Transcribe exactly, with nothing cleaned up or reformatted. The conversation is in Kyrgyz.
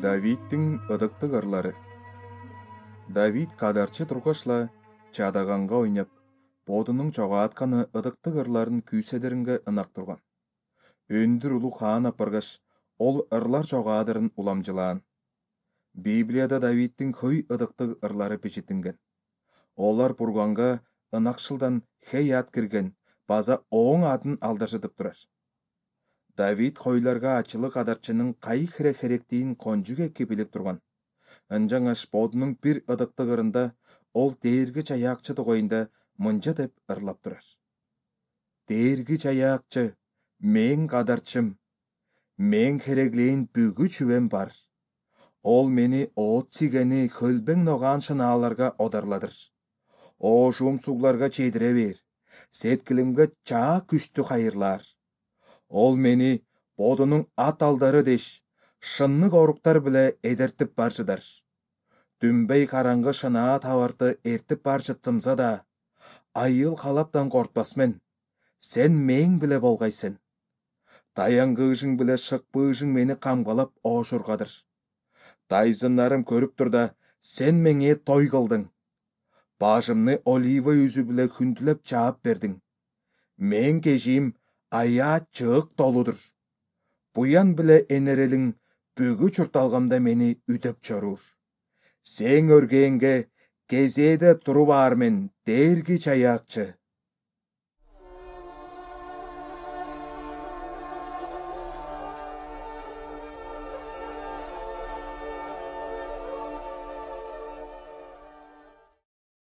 Давидтин ыдыктык ырлары. Давид кадарчы тургашла чадаганга ойноп, бодунун чогаатканы ыдыктык ырларын күүседеринге ынак турган. Өндүр улуу хаан апаргаш, ол ырлар чогаадырын уламжылаан. Библияда Давидтин хөй ыдыктык ырлары печетинген. Олар бурганга ынакчылдан хей ат кирген, база оң атын алдашытып турар. Давид хойларга ачылы кадарчынын кайы хире херектиин конжук эки билип турган. Ынжаңаш бодунун бир ыдыктык ырында ол дээрги чаяакчы тогоюнда мынча деп ырлап турар. Дээрги чаяакчы, мен кадарчым, мен хереглейин бүгү чүбем бар. Ол мени оот сигени хөлбең ногаан шынааларга одарладыр. Оошуум сууларга чедире бер, сеткилимге чаа күчтү кайырлаар. Ол мени бодунун ат алдары деш, шыннык оруктар биле эдертип баржыдар. Дүмбей караңгы шынаа табарты эртип баржытсымса да, айыл калаптан кортпас мен. Сен мең биле болгайсың. Таянгыжың биле шыкпыжың мени камгалап оошургадыр. Тайзыннарым көрүп тур да, сен меңе той кылдың. Башымны олива үзү биле хүндүлөп чаап бердиң. Мен кежим аyaa чыык толудур. Буян биле энерелиң бүгү чурталгамда мени үдөп чорур. Сең өргенге кезээде туруп аар мен, дээрги чаяакчы.